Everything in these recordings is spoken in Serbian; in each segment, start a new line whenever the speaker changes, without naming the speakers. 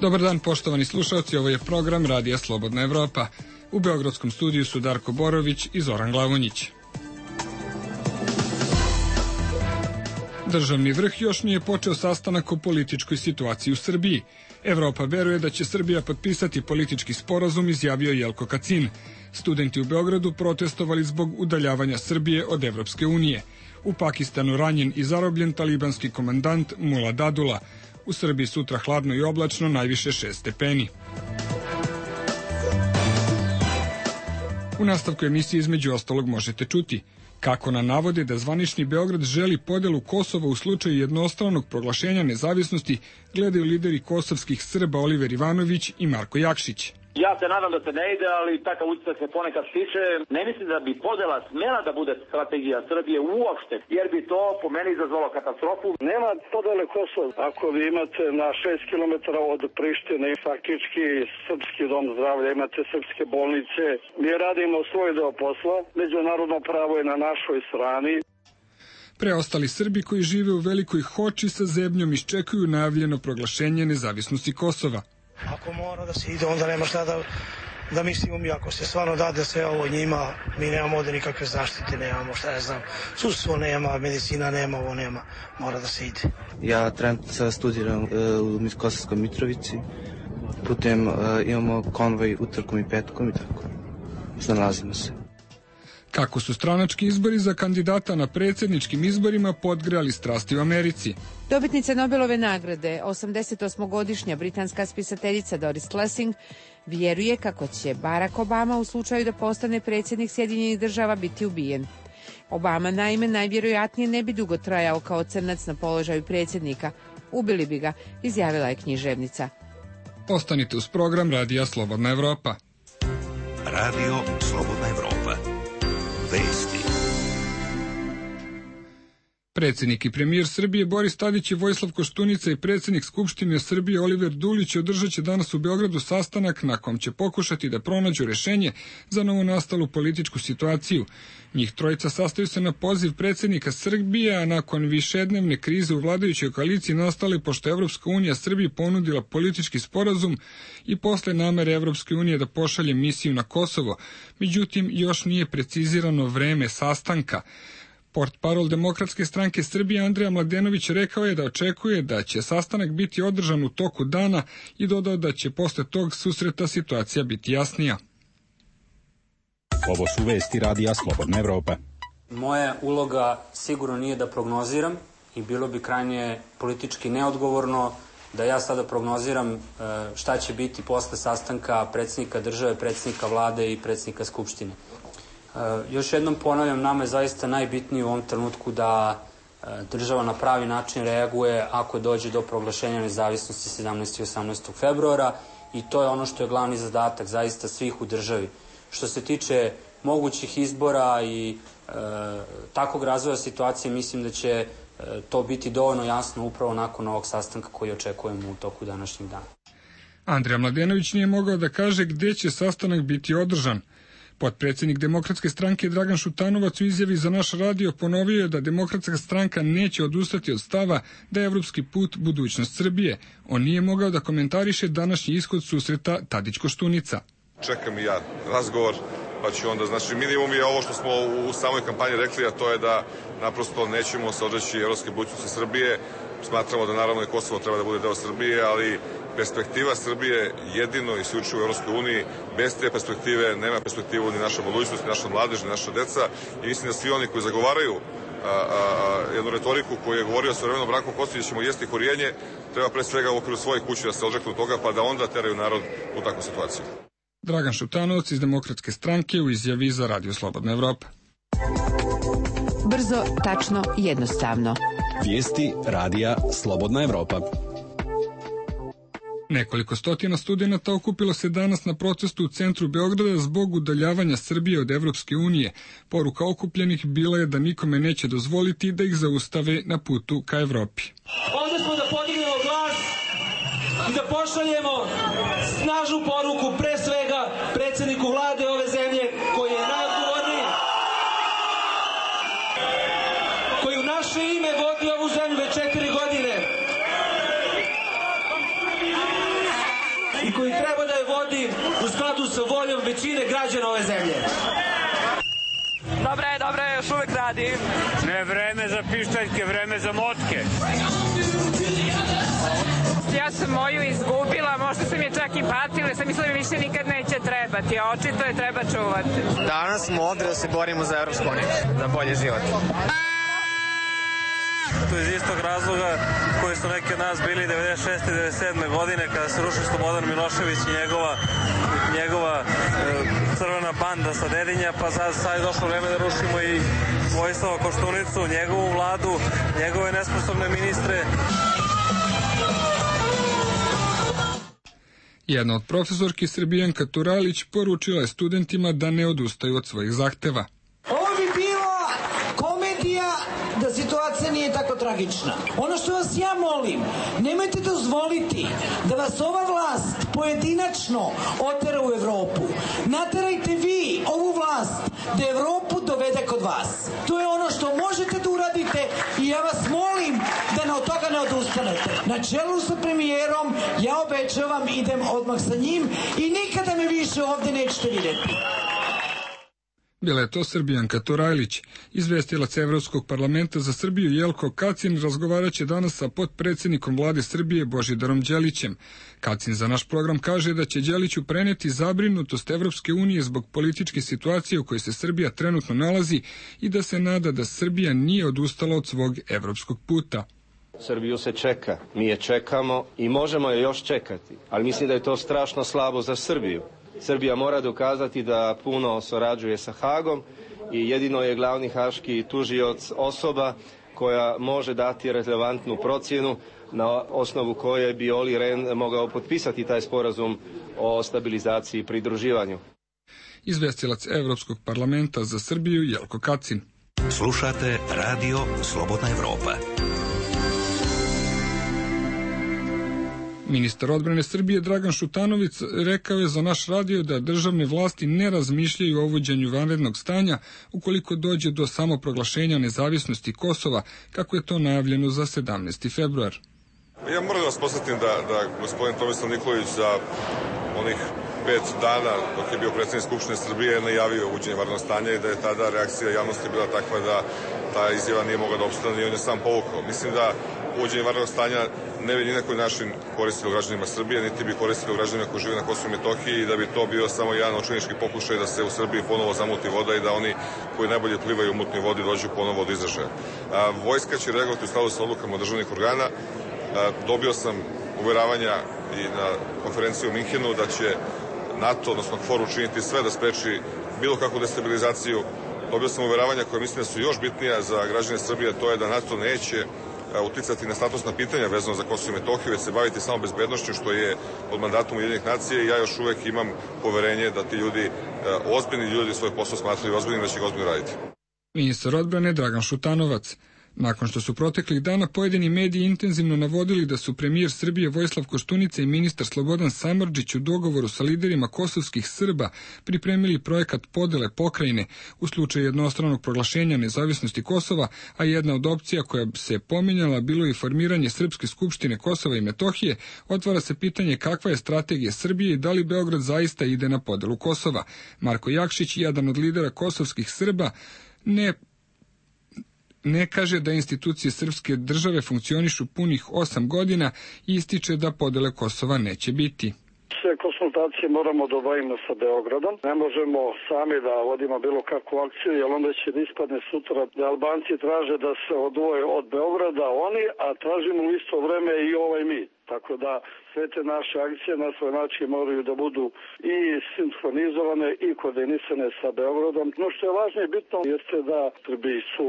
Dobar dan, poštovani slušalci, ovo je program Radija Slobodna Evropa. U beogradskom studiju su Darko Borović i Zoran Glavonjić. Državni vrh još nije počeo sastanak o političkoj situaciji u Srbiji. Evropa veruje da će Srbija potpisati politički sporazum, izjavio Jelko Kacin. Studenti u Beogradu protestovali zbog udaljavanja Srbije od Evropske unije. U Pakistanu ranjen i zarobljen talibanski komandant Mula Dadula. U Srbiji sutra hladno i oblačno, najviše 6 stepeni. U nastavku emisije između ostalog možete čuti kako na navode da zvanični Beograd želi podelu Kosova u slučaju jednostranog proglašenja nezavisnosti gledaju lideri kosovskih Srba Oliver Ivanović i Marko Jakšić.
Ja se nadam da se ne ide, ali takav utisak se ponekad stiče. Ne mislim da bi podela smela da bude strategija Srbije uopšte, jer bi to po meni izazvalo katastrofu.
Nema podele Kosova. Ako vi imate na 6 km od Prištine faktički srpski dom zdravlja, imate srpske bolnice. Mi radimo svoj deo posla, međunarodno pravo je na našoj strani.
Preostali Srbi koji žive u Velikoj Hoči sa zebnjom iščekuju najavljeno proglašenje nezavisnosti Kosova.
Ako mora da se ide, onda nema šta da mislimo mi. Ako se stvarno dade sve ovo njima, mi nemamo ovde nikakve zaštite, nemamo šta ja znam, sudstvo nema, medicina nema, ovo nema, mora da se ide.
Ja trenutno sada studiram u Kosovskoj Mitrovici, putem imamo konvoj utorkom i petkom i tako, nalazimo se.
Kako su stranački izbori za kandidata na predsjedničkim izborima podgrejali strasti u Americi.
Dobitnica Nobelove nagrade, 88-godišnja britanska spisateljica Doris Lessing, vjeruje kako će Barack Obama u slučaju da postane predsjednik Sjedinjenih država biti ubijen. Obama naime najvjerojatnije ne bi dugo trajao kao crnac na položaju predsjednika. Ubili bi ga, izjavila je književnica.
Ostanite uz program Radija Slobodna Evropa.
Radio Slobodna Evropa. Vesti.
Predsjednik i premijer Srbije Boris Tadić i Vojislav Koštunica i predsjednik Skupštine Srbije Oliver Dulić održat će danas u Beogradu sastanak na kom će pokušati da pronađu rešenje za novonastalu političku situaciju. Njih trojica sastaju se na poziv predsjednika Srbije, a nakon višednevne krize u vladajućoj koaliciji nastale pošto Evropska unija Srbiji ponudila politički sporazum i posle namere Evropske unije da pošalje misiju na Kosovo. Međutim, još nije precizirano vreme sastanka. Portparol Demokratske stranke Srbije Andrija Mladenović rekao je da očekuje da će sastanak biti održan u toku dana i dodao da će posle tog susreta situacija biti jasnija.
Ovo su vesti Radija Slobodna Evropa.
Moja uloga sigurno nije da prognoziram i bilo bi krajnje politički neodgovorno da ja sada prognoziram šta će biti posle sastanka predsjednika države, predsjednika vlade i predsjednika Skupštine. Još jednom ponavljam, nama je zaista najbitnije u ovom trenutku da država na pravi način reaguje ako dođe do proglašenja nezavisnosti 17. i 18. februara i to je ono što je glavni zadatak zaista svih u državi. Što se tiče mogućih izbora i takvog razvoja situacije, mislim da će to biti dovoljno jasno upravo nakon ovog sastanka koji očekujemo u toku današnjeg dana.
Andrija Mladenović nije mogao da kaže gde će sastanak biti održan. Potpredsjednik Demokratske stranke Dragan Šutanovac u izjavi za naš radio ponovio je da Demokratska stranka neće odustati od stava da je evropski put budućnost Srbije. On nije mogao da komentariše današnji ishod susreta Tadić-Koštunica.
Čekam i ja razgovor, pa ću onda, znači minimum je ovo što smo u samoj kampanji rekli, a to je da naprosto nećemo se odreći evropske budućnosti Srbije. Smatramo da naravno i Kosovo treba da bude deo Srbije, ali perspektiva Srbije jedino i isključivo u Evropskoj uniji. Bez te perspektive nema perspektivu ni naša budućnost, ni naša mladež, ni naša deca. I mislim da svi oni koji zagovaraju jednu retoriku koju je govorio svojevremeno Branko Kostinić, ćemo jesti korijenje, treba pre svega u okviru svoje kuće da se odreknu toga, pa da onda teraju narod u takvu situaciju.
Dragan Šutanovac iz Demokratske stranke u izjavi za Radio Slobodna Evropa.
Brzo, tačno, jednostavno.
Vijesti Radija Slobodna Evropa.
Nekoliko stotina studenata okupilo se danas na protestu u centru Beograda zbog udaljavanja Srbije od Evropske unije. Poruka okupljenih bila je da nikome neće dozvoliti da ih zaustave na putu ka Evropi.
Ovdje smo da podignemo glas i da pošaljemo snažnu poruku pre svega predsjedniku vlade ove zemlje koji je najodgovorniji, koji u naše ime vodi ovu zemlju već 4 godine. skladu sa voljom većine građana ove zemlje.
Dobre, još uvek radim.
Ne vreme za pištaljke, vreme za motke.
Ja sam moju izgubila, možda sam je čak i patila, sam mislila mi više nikad neće trebati, a očito je treba čuvati.
Danas smo ovde da se borimo za Evropsku uniju, za bolji život.
To iz istog razloga koji su neki od nas bili 96. i 97. godine kada se rušio Slobodan Milošević i njegova crvena banda sa Dedinja, pa sad je došlo vreme da rušimo i Vojislava Koštunicu, njegovu vladu, njegove nesposobne ministre.
Jedna od profesorki Srbijanka Turalić poručila je studentima da ne odustaju od svojih zahteva.
Ovo bi bila komedija da situacija nije tako tragična. Ono što vas ja molim, nemojte dozvoliti da vas ova vlast pojedinačno otera u Evropu. Naterajte vi ovu vlast da Evropu dovede kod vas. To je ono što možete da uradite i ja vas molim da od toga ne odustanete. Na čelu sa premijerom, ja obećavam, idem odmah sa njim i nikada me više ovde nećete vidjeti.
Bila je to Srbijanka Turajlić. Izvestilac Evropskog parlamenta za Srbiju Jelko Kacin razgovarat će danas sa potpredsjednikom vlade Srbije Božidarom Đelićem. Kacin za naš program kaže da će Đeliću preneti zabrinutost Evropske unije zbog političke situacije u kojoj se Srbija trenutno nalazi i da se nada da Srbija nije odustala od svog evropskog puta.
Srbiju se čeka, mi je čekamo i možemo je još čekati, ali mislim da je to strašno slabo za Srbiju. Srbija mora dokazati da puno surađuje sa Hagom i jedino je glavni haški tužioc osoba koja može dati relevantnu procjenu na osnovu koje bi Oli Rehn mogao potpisati taj sporazum o stabilizaciji i pridruživanju.
Izvestilac Evropskog parlamenta za Srbiju Jelko Kacin.
Slušate radio Slobodna Evropa.
Ministar odbrane Srbije Dragan Šutanović rekao je za naš radio da državne vlasti ne razmišljaju o uvođenju vanrednog stanja ukoliko dođe do samoproglašenja nezavisnosti Kosova, kako je to najavljeno za 17. februar.
Ja moram da vas posjetim da gospodin Tomislav Nikolić za onih 5 dana dok je bio predsjednik Skupštine Srbije najavio uvođenje vanrednog stanja i da je tada reakcija javnosti bila takva da ta izjava nije mogla da opstane i on je sam povukao. Mislim da uvođenje vanrednog stanja ne bi ni na koji način koristilo građanima Srbije, niti bi koristilo građanima koji žive na Kosovu i Metohiji i da bi to bio samo jedan očajnički pokušaj da se u Srbiji ponovo zamuti voda i da oni koji najbolje plivaju u mutnoj vodi dođu ponovo do izražaja. Vojska će reagovati u skladu sa odlukama državnih organa. Dobio sam uveravanja i na konferenciji u Minhenu da će NATO, odnosno KFOR, učiniti sve da spreči bilo kakvu destabilizaciju. Dobio sam uveravanja koje mislim da su još bitnija za građane Srbije, to je da NATO neće uticati na statusna pitanja vezano za Kosovo i Metohiju, već se baviti samo bezbednošću, što je pod mandatom Ujedinjenih nacija i ja još uvek imam poverenje da ti ljudi, ozbiljni ljudi, svoj posao smatraju ozbiljnim, da će ga ozbiljno raditi.
Ministar odbrane Dragan Šutanovac. Nakon što su proteklih dana pojedini mediji intenzivno navodili da su premijer Srbije Vojislav Koštunica i ministar Slobodan Samardžić u dogovoru sa liderima kosovskih Srba pripremili projekat podele pokrajine u slučaju jednostranog proglašenja nezavisnosti Kosova, a jedna od opcija koja se pominjala bilo i formiranje Srpske skupštine Kosova i Metohije, otvara se pitanje kakva je strategija Srbije i da li Beograd zaista ide na podelu Kosova. Marko Jakšić, jedan od lidera kosovskih Srba, ne kaže da institucije srpske države funkcionišu punih 8 godina i ističe da podele Kosova neće biti.
Sve konsultacije moramo da obavimo sa Beogradom. Ne možemo sami da vodimo bilo kakvu akciju, jer onda će da ispadne sutra da Albanci traže da se odvoje od Beograda oni, a tražimo u isto vreme i mi. Tako da sve te naše akcije na svoj način moraju da budu i sinhronizovane i koordinisane sa Beogradom. No što je važno i bitno jeste da Srbiji su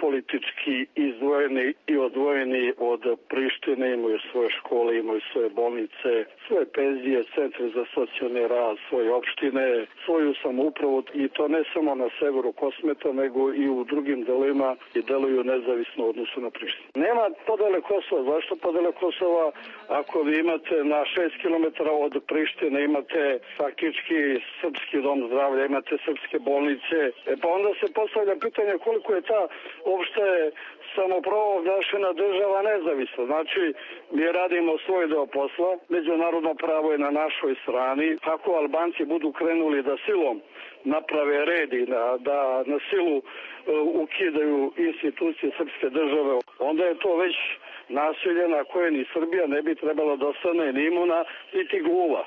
politički izdvojeni i odvojeni od Prištine, imaju svoje škole, imaju svoje bolnice, svoje penzije, centre za socijalni rad, svoje opštine, svoju samoupravu i to ne samo na severu Kosmeta, nego i u drugim delovima i deluju nezavisno u odnosu na Prištinu. Nema podele Kosova. Zašto podele Kosova? Ako vi imate na 6 km od Prištine, imate faktički srpski dom zdravlja, imate srpske bolnice, pa onda se postavlja pitanje koliko je ta uopšte samoproglašena država nezavisna. Znači, mi radimo svoj deo posla, međunarodno pravo je na našoj strani. Ako Albanci budu krenuli da silom naprave red i da na silu ukidaju institucije srpske države, onda je to već nasilje na koje ni Srbija ne bi trebala da ostane ni imuna, niti gluva.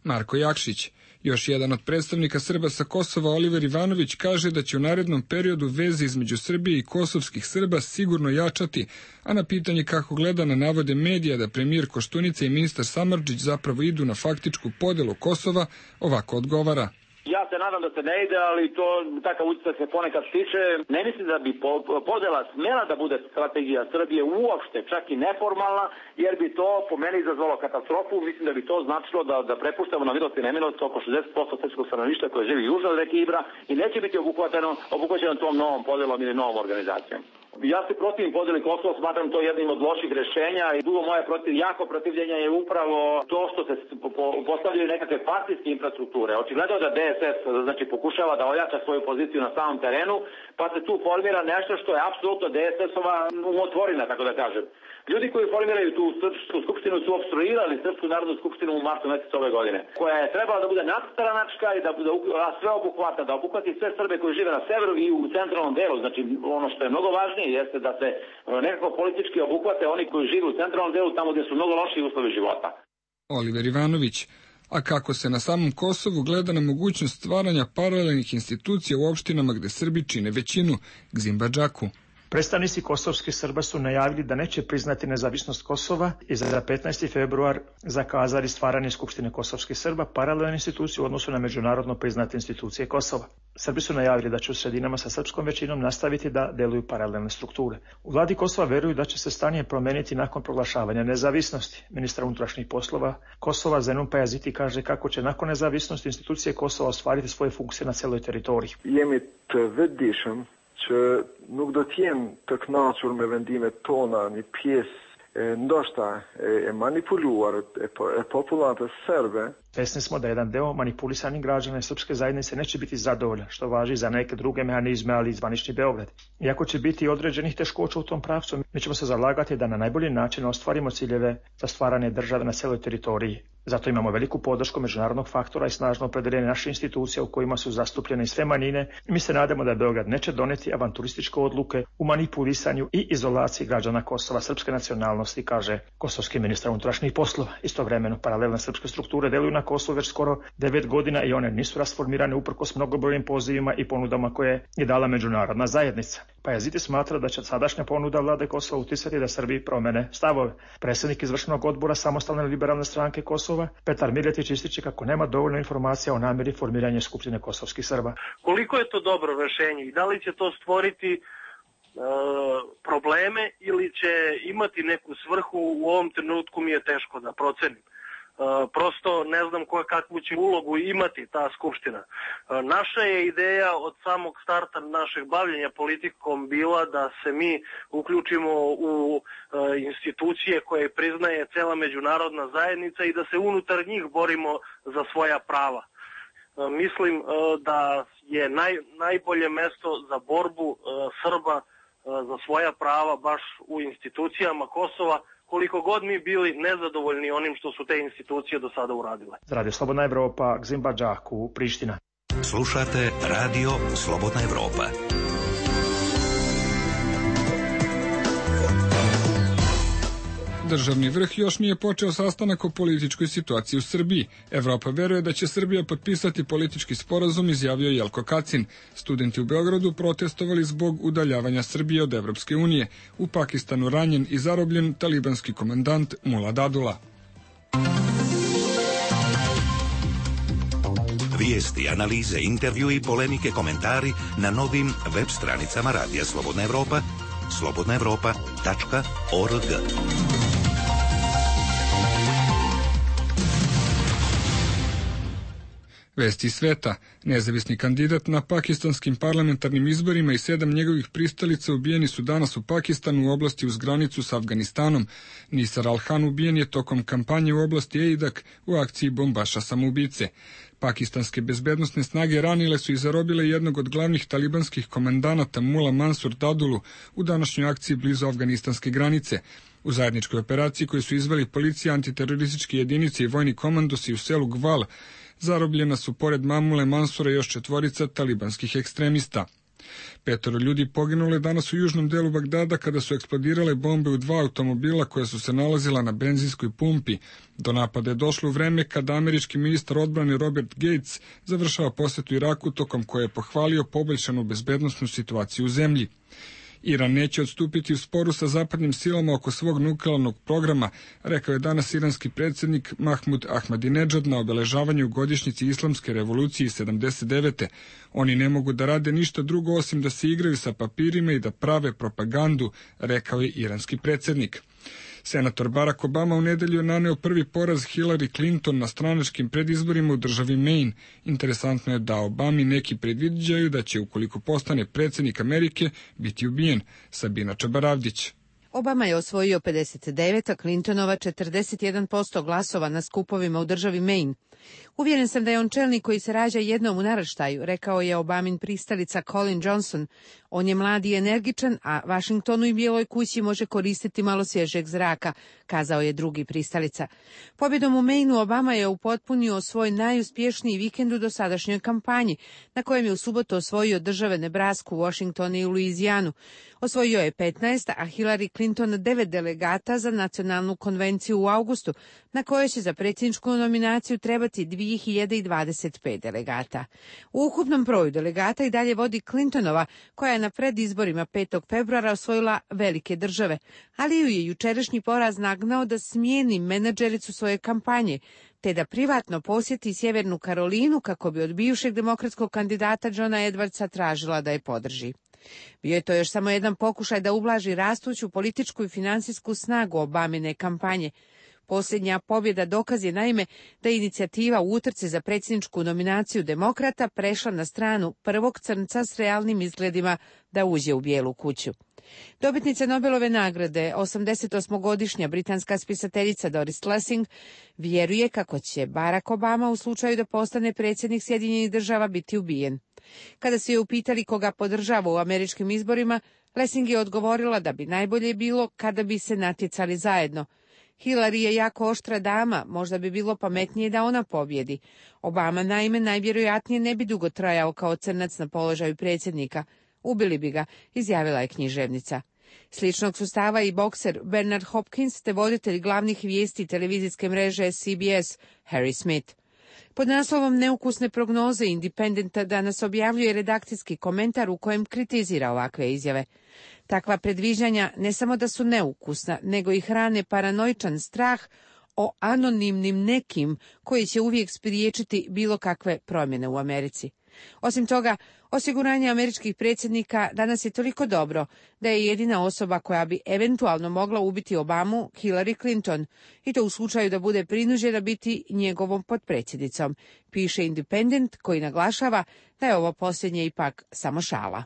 Marko Jakšić, još jedan od predstavnika Srba sa Kosova, Oliver Ivanović, kaže da će u narednom periodu veze između Srbije i kosovskih Srba sigurno jačati, a na pitanje kako gleda na navode medija da premijer Koštunica i ministar Samardžić zapravo idu na faktičku podelu Kosova, ovako odgovara.
Ja se nadam da se ne ide, ali to takav utisak se ponekad stiče. Ne mislim da bi podela smela da bude strategija Srbije uopšte, čak i neformalna, jer bi to po meni izazvalo katastrofu. Mislim da bi to značilo da prepuštamo na milost i nemilost oko 60% srpskog stanovništva koje živi južno od reke Ibra i neće biti obuhvaćeno tom novom podelom ili novom organizacijom. Ja se protivim podeli Kosova, smatram to jednim od loših rešenja i drugo moje jako protivljenje je upravo to što se postavljaju nekakve partijske infrastrukture. Očigledno da DSS pokušava da ojača svoju poziciju na samom terenu, pa se tu formira nešto što je apsolutno DSS-ova umotvorina, tako da kažem. Ljudi koji formiraju tu srpsku skupštinu su opstruirali Srpsku narodnu skupštinu u martu mesecu ove godine, koja je trebala da bude nadstranačka i da bude sveobuhvatna, da obuhvati sve Srbe koji žive na severu i u centralnom delu. Znači, ono što je mnogo važnije jeste da se nekako politički obuhvate oni koji žive u centralnom delu, tamo gdje su mnogo lošiji uslovi života.
Oliver Ivanović. A kako se na samom Kosovu gleda na mogućnost stvaranja paralelnih institucija u opštinama gde Srbi čine većinu, Gzimbadžaku?
Predstavnici kosovskih Srba su najavili da neće priznati nezavisnost Kosova i za 15. februar zakazali stvaranje Skupštine kosovskih Srba, paralelne institucije u odnosu na međunarodno priznate institucije Kosova. Srbi su najavili da će u sredinama sa srpskom većinom nastaviti da deluju paralelne strukture. U vladi Kosova veruju da će se stanje promeniti nakon proglašavanja nezavisnosti. Ministar unutrašnjih poslova Kosova Zenun Pajaziti kaže kako će nakon nezavisnosti institucije Kosova ostvariti svoje funkcije na celoj teritoriji.
që nuk do t'jem të kënaqur me vendimet tona, një pjesë ndoshta e manipuluar e popullatës serbe.
Svesni smo da jedan deo manipulisanih građana srpske zajednice neće biti zadovoljan, što važi za neke druge mehanizme, ali i zvanični Beograd. Iako će biti određenih teškoća u tom pravcu, mi ćemo se zalagati da na najbolji način ostvarimo ciljeve za stvaranje države na celoj teritoriji. Zato imamo veliku podršku međunarodnog faktora i snažno opredeljenje naših institucija u kojima su zastupljene sve manjine i mi se nadamo da Beograd neće doneti avanturističke odluke u manipulisanju i izolaciji građana Kosova srpske nacionalnosti, kaže kosovski ministar unutrašnjih poslova. Istovremeno, paralelne srpske strukture deluju na Kosovu već skoro 9 godina i one nisu rasformirane uprkos mnogobrojnim pozivima i ponudama koje je dala međunarodna zajednica. Pajaziti smatra da će sadašnja ponuda vlade Kosova uticati da Srbiji promene stavove. Predsjednik izvršnog odbora Samostalne liberalne stranke Kosova, Petar Miletić, ističe kako nema dovoljno informacija o namjeri formiranja Skupštine kosovskih Srba.
Koliko je to dobro rešenje i da li će to stvoriti probleme ili će imati neku svrhu, u ovom trenutku mi je teško da procenim. Prosto ne znam kakvu će ulogu imati ta skupština. Naša je ideja od samog starta našeg bavljenja politikom bila da se mi uključimo u institucije koje priznaje cela međunarodna zajednica i da se unutar njih borimo za svoja prava. Mislim da je najbolje mesto za borbu Srba za svoja prava baš u institucijama Kosova, koliko god mi bili nezadovoljni onim što su te institucije do sada uradile.
Radio Slobodna Evropa, Gzimbadžaku, Priština.
Slušate Radio Slobodna Evropa.
Državni vrh još nije počeo sastanak o političkoj situaciji u Srbiji. Evropa veruje da će Srbija potpisati politički sporazum, izjavio Jelko Kacin. Studenti u Beogradu protestovali zbog udaljavanja Srbije od Evropske unije. U Pakistanu ranjen i zarobljen talibanski komandant Mula Dadula.
Vijesti, analize, intervju i polemike, komentari na novim web stranicama Radija Slobodna Evropa, slobodnaevropa.org.
Vesti sveta. Nezavisni kandidat na pakistanskim parlamentarnim izborima i 7 njegovih pristalica ubijeni su danas u Pakistanu u oblasti uz granicu s Afganistanom. Nisar Al-Han ubijen je tokom kampanje u oblasti Eidak u akciji bombaša samoubice. Pakistanske bezbednosne snage ranile su i zarobile jednog od glavnih talibanskih komandanata Mula Mansur Dadulu u današnjoj akciji blizu afganistanske granice. U zajedničkoj operaciji koju su izveli policija, antiterorističke jedinice i vojni komandosi u selu Gval, zarobljena su pored Mamule Mansura još 4 talibanskih ekstremista. 5 ljudi poginule danas u južnom delu Bagdada kada su eksplodirale bombe u 2 automobila koja su se nalazila na benzinskoj pumpi. Do napada je došlo u vreme kada američki ministar odbrane Robert Gates završava posetu Iraku, tokom koje je pohvalio poboljšanu bezbednosnu situaciju u zemlji. Iran neće odstupiti u sporu sa zapadnim silama oko svog nuklearnog programa, rekao je danas iranski predsjednik Mahmud Ahmadinedžad na obeležavanju godišnjici Islamske revolucije 79. Oni ne mogu da rade ništa drugo osim da se igraju sa papirima i da prave propagandu, rekao je iranski predsjednik. Senator Barack Obama u nedelju je naneo prvi poraz Hillary Clinton na stranačkim predizborima u državi Maine. Interesantno je da Obami neki predviđaju da će, ukoliko postane predsjednik Amerike, biti ubijen. Sabina Čabaravdić.
Obama je osvojio 59, a Clintonova 41% glasova na skupovima u državi Maine. Uvjeren sam da je on čelnik koji se rađa jednom u naraštaju, rekao je Obamin pristalica Colin Johnson. On je mlad i energičan, a Vašingtonu i Bijeloj kući može koristiti malo svježeg zraka, kazao je drugi pristalica. Pobjedom u Mainu Obama je upotpunio svoj najuspješniji vikend u dosadašnjoj kampanji, na kojem je u subotu osvojio države Nebrasku, Washington i Luizijanu. Osvojio je 15, a Hillary Clinton 9 delegata za nacionalnu konvenciju u avgustu, na kojoj će za predsjedničku nominaciju trebati 2025 delegata. U ukupnom broju delegata i dalje vodi Clintonova, koja je na predizborima 5. februara osvojila velike države, ali ju je jučerašnji poraz nagnao da smijeni menadžericu svoje kampanje, te da privatno posjeti Sjevernu Karolinu kako bi od bivšeg demokratskog kandidata Johna Edwardsa tražila da je podrži. Bio je to još samo jedan pokušaj da ublaži rastuću političku i financijsku snagu Obamine kampanje. Posljednja pobjeda dokaz je naime da je inicijativa u utrci za predsjedničku nominaciju demokrata prešla na stranu prvog crnca s realnim izgledima da uđe u Bijelu kuću. Dobitnica Nobelove nagrade, 88-godišnja britanska spisateljica Doris Lessing, vjeruje kako će Barack Obama u slučaju da postane predsjednik Sjedinjenih Država biti ubijen. Kada su je upitali koga podržava u američkim izborima, Lessing je odgovorila da bi najbolje bilo kada bi se natjecali zajedno. Hillary je jako oštra dama, možda bi bilo pametnije da ona pobjedi. Obama naime najvjerojatnije ne bi dugo trajao kao crnac na položaju predsjednika. Ubili bi ga, izjavila je književnica. Sličnog su stava i bokser Bernard Hopkins te voditelj glavnih vijesti televizijske mreže CBS, Harry Smith. Pod naslovom Neukusne prognoze Independenta danas objavljuje redakcijski komentar u kojem kritizira ovakve izjave. Takva predviđanja ne samo da su neukusna, nego i hrane paranoičan strah o anonimnim nekim koji će uvijek spriječiti bilo kakve promjene u Americi. Osim toga, osiguranje američkih predsjednika danas je toliko dobro da je jedina osoba koja bi eventualno mogla ubiti Obamu Hillary Clinton, i to u slučaju da bude prinuđena biti njegovom potpredsjednicom, piše Independent, koji naglašava da je ovo posljednje ipak samo šala.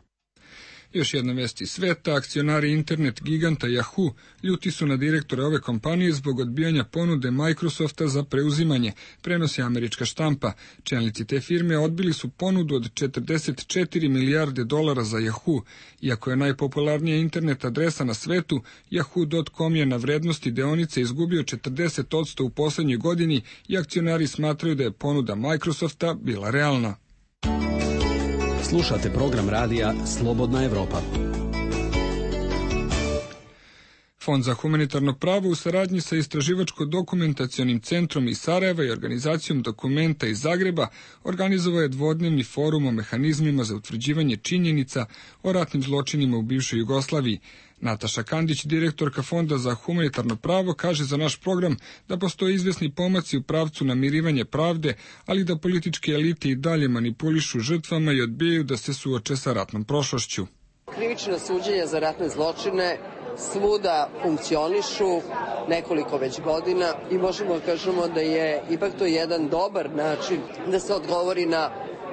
Još jedna vest iz sveta, akcionari internet giganta Yahoo ljuti su na direktore ove kompanije zbog odbijanja ponude Microsofta za preuzimanje, prenosi američka štampa. Čelnici te firme odbili su ponudu od 44 milijarde dolara za Yahoo. Iako je najpopularnija internet adresa na svetu, Yahoo.com je na vrednosti deonice izgubio 40% u posljednjoj godini i akcionari smatraju da je ponuda Microsofta bila realna.
Slušate program radija Slobodna Evropa.
Fond za humanitarno pravo u saradnji sa Istraživačko-dokumentacionim centrom iz Sarajeva i organizacijom Dokumenta iz Zagreba organizovao je dvodnevni forum o mehanizmima za utvrđivanje činjenica o ratnim zločinima u bivšoj Jugoslaviji. Nataša Kandić, direktorka Fonda za humanitarno pravo, kaže za naš program da postoje izvesni pomaci u pravcu namirivanja pravde, ali da političke elite i dalje manipulišu žrtvama i odbijaju da se suoče sa ratnom prošlošću.
Krivično suđenje za ratne zločine svuda funkcionišu nekoliko već godina i možemo da kažemo da je ipak to jedan dobar način da se odgovori na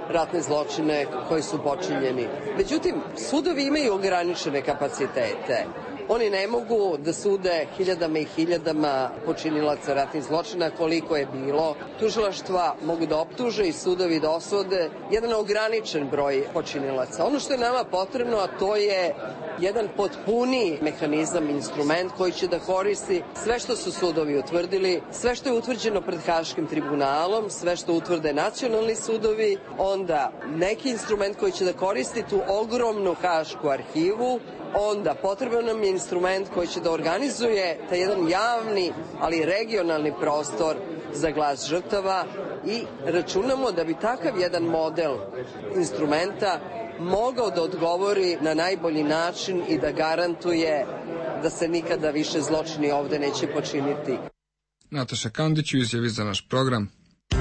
ratne zločine koji su počinjeni. Međutim, sudovi imaju ograničene kapacitete. Oni ne mogu da sude hiljadama i hiljadama počinilaca ratnih zločina koliko je bilo. Tužilaštva mogu da optuže i sudovi da osude jedan ograničen broj počinilaca. Ono što je nama potrebno, a to je jedan potpuniji mehanizam, instrument koji će da koristi sve što su sudovi utvrdili, sve što je utvrđeno pred Haškim tribunalom, sve što utvrde nacionalni sudovi, onda neki instrument koji će da koristi tu ogromnu Hašku arhivu, onda potreban nam je instrument koji će da organizuje taj jedan javni, ali regionalni prostor za glas žrtava i računamo da bi takav jedan model instrumenta mogao da odgovori na najbolji način i da garantuje da se nikada više zločini ovde neće počiniti.
Nataša Kandić u izjavi za naš program.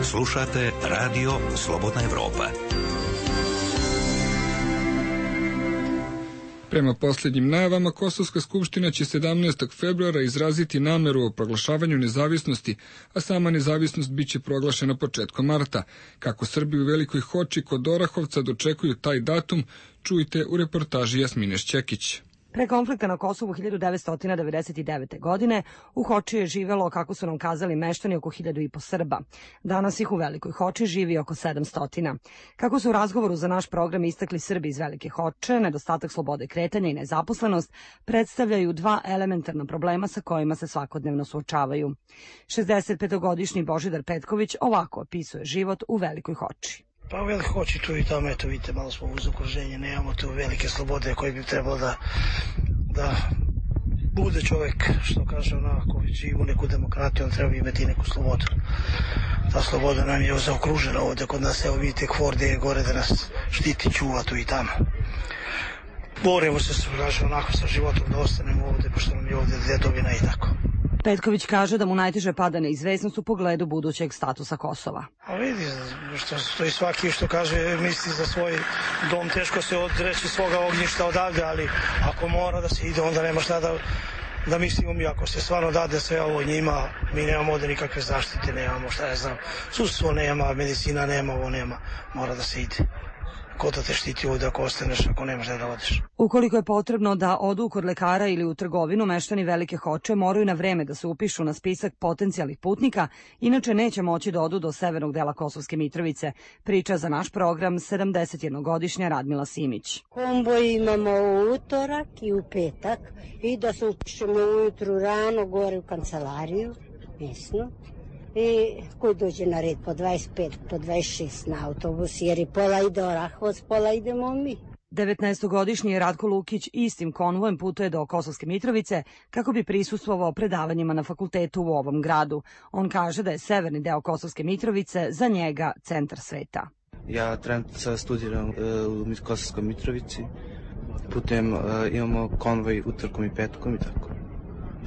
Slušate Radio Slobodna Evropa.
Prema posljednjim najavama, Kosovska skupština će 17. februara izraziti nameru o proglašavanju nezavisnosti, a sama nezavisnost biće proglašena početkom marta. Kako Srbi u Velikoj Hoči kod Orahovca dočekuju taj datum, čujte u reportaži Jasmine Šćekić.
Pre konflikta na Kosovu 1999. godine u Hoči je živelo, kako su nam kazali meštani, oko 1500 Srba. Danas ih u Velikoj Hoči živi oko 700. Kako su u razgovoru za naš program istakli Srbi iz Velike Hoče, nedostatak slobode kretanja i nezaposlenost predstavljaju dva elementarna problema sa kojima se svakodnevno suočavaju. 65-godišnji Božidar Petković ovako opisuje život u Velikoj Hoči.
Pa u Velikoj Hoči tu i tamo, eto vidite, malo smo uz okruženje, nemamo tu velike slobode koje bi trebalo da bude čovek, što kaže onako, živi u neku demokratiju, on treba imati neku slobodu. Ta sloboda nam je zaokružena ovde kod nas, evo vidite Hvorde je gore da nas štiti, čuva tu i tamo. Borimo se, kaže onako, sa životom da ostanemo ovde, pošto nam je ovde dedovina i tako.
Petković kaže da mu najteže pada neizvesnost u pogledu budućeg statusa Kosova.
A vidi, što i svaki što kaže misli za svoj dom, teško se odreći svoga ognjišta odavde, ali ako mora da se ide, onda nema šta da mislimo mi. Ako se stvarno dade sve ovo njima, mi nemamo ovde nikakve zaštite, nemamo šta ja znam, sudstvo nema, medicina nema, ovo nema, mora da se ide. Ko da te štiti ovde ako ostaneš, ako nemaš da odeš.
Ukoliko je potrebno da odu kod lekara ili u trgovinu, meštani Velike Hoče moraju na vreme da se upišu na spisak potencijalnih putnika, inače neće moći da odu do severnog dela Kosovske Mitrovice, priča za naš program 71-godišnja Radmila Simić.
Komboj imamo u utorak i u petak i da se upišemo ujutru rano gore u kancelariju, mesno. I koji dođe na red po 25, po 26 na autobus, jer i pola ide Orahovac, pola idemo mi.
19-godišnji Ratko Lukić istim konvojem putuje do Kosovske Mitrovice kako bi prisustvovao predavanjima na fakultetu u ovom gradu. On kaže da je severni deo Kosovske Mitrovice za njega centar sveta.
Ja trenutno studiram u Kosovskoj Mitrovici, putem imamo konvoj utorkom i petkom i tako.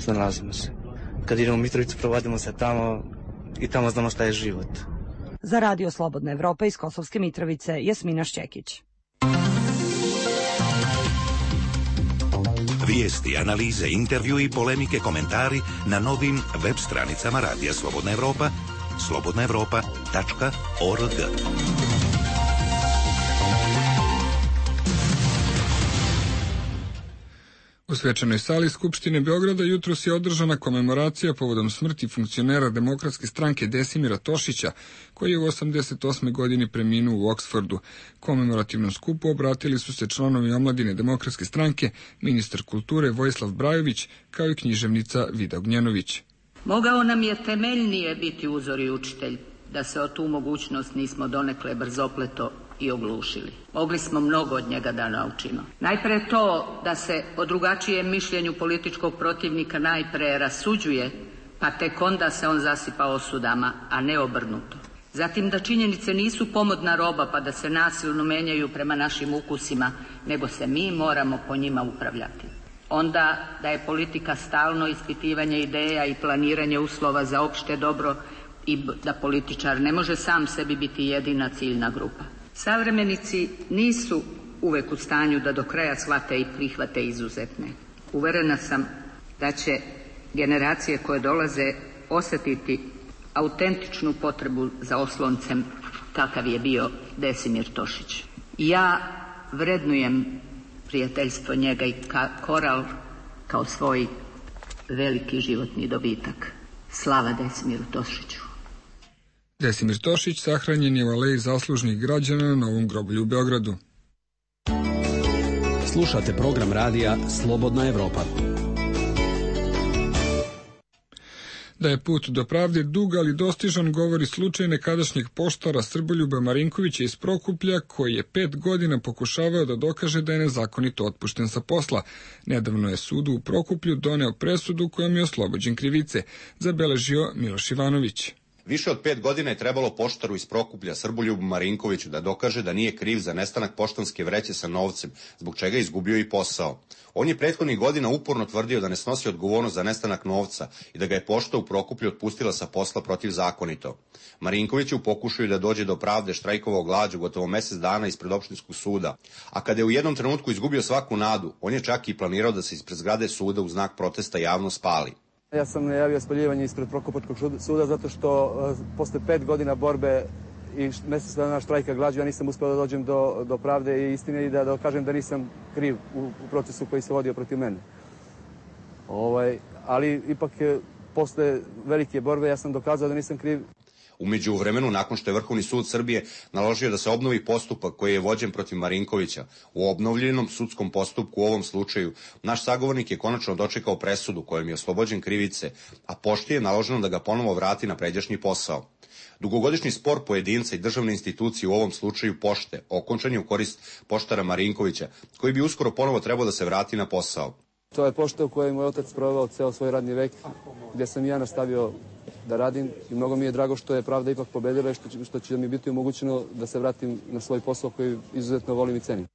Nalazimo se. Kad idemo u Mitrovicu, provodimo se tamo i tamo znamo šta je život.
Za Radio Slobodna Evropa iz Kosovske Mitrovice, Jasmina Šćekić.
Vijesti, analize, intervju i polemike, komentari na novim web stranicama Radija Slobodna Evropa, slobodnaevropa.org.
U svečanoj sali Skupštine Beograda jutros je održana komemoracija povodom smrti funkcionera Demokratske stranke Desimira Tošića, koji je u 88. godini preminuo u Oksfordu. Komemorativnom skupu obratili su se članovi omladine Demokratske stranke, ministar kulture Vojislav Brajović, kao i književnica Vida Ognjenović.
Mogao nam je temeljnije biti uzor i učitelj, da se o tu mogućnost nismo donekle brzopleto i oglušili. Mogli smo mnogo od njega da naučimo. Najpre to da se o drugačijem mišljenju političkog protivnika najpre rasuđuje, pa tek onda se on zasipa osudama, a ne obrnuto. Zatim da činjenice nisu pomodna roba pa da se nasilno menjaju prema našim ukusima, nego se mi moramo po njima upravljati. Onda da je politika stalno ispitivanje ideja i planiranje uslova za opšte dobro i da političar ne može sam sebi biti jedina ciljna grupa. Savremenici nisu uvek u stanju da do kraja shvate i prihvate izuzetne. Uverena sam da će generacije koje dolaze osjetiti autentičnu potrebu za osloncem kakav je bio Desimir Tošić. Ja vrednujem prijateljstvo njega i koral kao svoj veliki životni dobitak. Slava Desimiru Tošiću.
Desimir Tošić sahranjen je u Aleji zaslužnih građana na Novom groblju u Beogradu.
Slušate program radija Slobodna Evropa.
Da je put do pravde dug, ali dostižan, govori slučaj nekadašnjeg poštara Srboljuba Marinkovića iz Prokuplja, koji je 5 godina pokušavao da dokaže da je nezakonito otpušten sa posla. Nedavno je sudu u Prokuplju doneo presudu kojom je oslobođen krivice, zabeležio Miloš Ivanović.
Više od 5 godina je trebalo poštaru iz Prokuplja Srboljubu Marinkoviću da dokaže da nije kriv za nestanak poštanske vreće sa novcem, zbog čega je izgubio i posao. On je prethodnih godina uporno tvrdio da ne snosi odgovornost za nestanak novca i da ga je pošta u Prokuplju otpustila sa posla protivzakonito. Marinković je u pokušaju da dođe do pravde štrajkovao glađu gotovo mesec dana ispred opštinskog suda, a kada je u jednom trenutku izgubio svaku nadu, on je čak i planirao da se ispred zgrade suda u znak protesta javno spali.
Ja sam najavio spaljivanje ispred Prokupačkog suda zato što posle 5 godina borbe i mesec dana štrajka glađu ja nisam uspeo da dođem do pravde i istine i da dokažem da nisam kriv u procesu koji se vodio protiv mene. Ali ipak posle velike borbe ja sam dokazao da nisam kriv.
U međuvremenu, nakon što je Vrhovni sud Srbije naložio da se obnovi postupak koji je vođen protiv Marinkovića, u obnovljenom sudskom postupku u ovom slučaju, naš sagovornik je konačno dočekao presudu kojom je oslobođen krivice, a pošti je naloženo da ga ponovo vrati na pređašnji posao. Dugogodišnji spor pojedinca i državne institucije u ovom slučaju pošte okončan je u korist poštara Marinkovića, koji bi uskoro ponovo trebao da se vrati na posao.
To je pošta u kojoj je moj otac proveo ceo svoj radni vek, gdje sam ja nastavio da radim i mnogo mi je drago što je pravda ipak pobedila i što će mi biti omogućeno da se vratim na svoj posao koji izuzetno volim i cenim.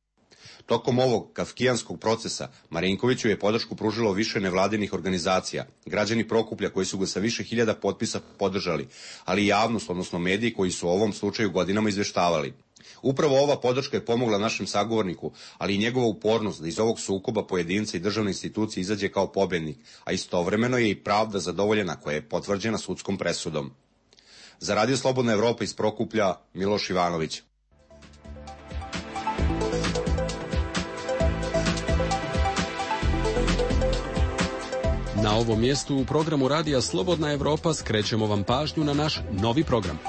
Tokom ovog kafkijanskog procesa Marinkoviću je podršku pružilo više nevladinih organizacija, građani Prokuplja koji su ga sa više hiljada potpisa podržali, ali i javnost, odnosno mediji koji su o ovom slučaju godinama izveštavali. Upravo ova podrška je pomogla našem sagovorniku, ali i njegova upornost da iz ovog sukoba pojedinca i državne institucije izađe kao pobednik, a istovremeno je i pravda zadovoljena koja je potvrđena sudskom presudom. Za Radio Slobodna Evropa iz Prokuplja, Miloš Ivanović.
Na ovom mjestu u programu Radija Slobodna Evropa skrećemo vam pažnju na naš novi program.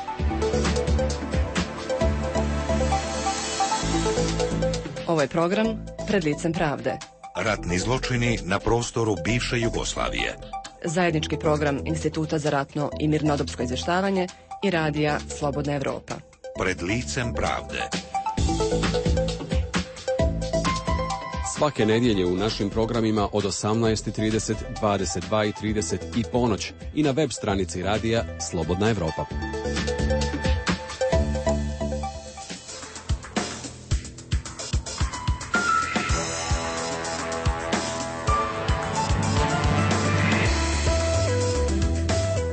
Ovo je program Pred licem pravde.
Ratni zločini na prostoru bivše Jugoslavije.
Zajednički program Instituta za ratno i mirnodopsko izvještavanje i Radija Slobodna Evropa.
Pred licem pravde.
Svake nedjelje u našim programima od 18:30, 22:30 i ponoć i na web stranici Radija Slobodna Evropa.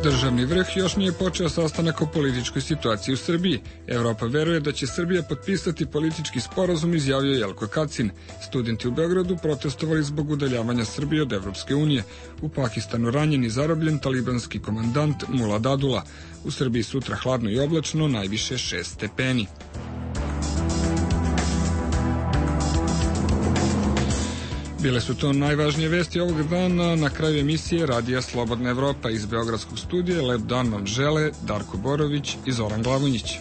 Državni vrh još nije počeo sastanak o političkoj situaciji u Srbiji. Evropa veruje da će Srbija potpisati politički sporazum, izjavio Jelko Kacin. Studenti u Beogradu protestovali zbog udaljavanja Srbije od Evropske unije. U Pakistanu ranjen i zarobljen talibanski komandant Mula Dadula. U Srbiji sutra hladno i oblačno, najviše 6 stepeni. Bile su to najvažnije vesti ovog dana. Na kraju emisije Radija Slobodna Evropa iz Beogradskog studija. Lep dan vam žele Darko Borović i Zoran Glavonjić.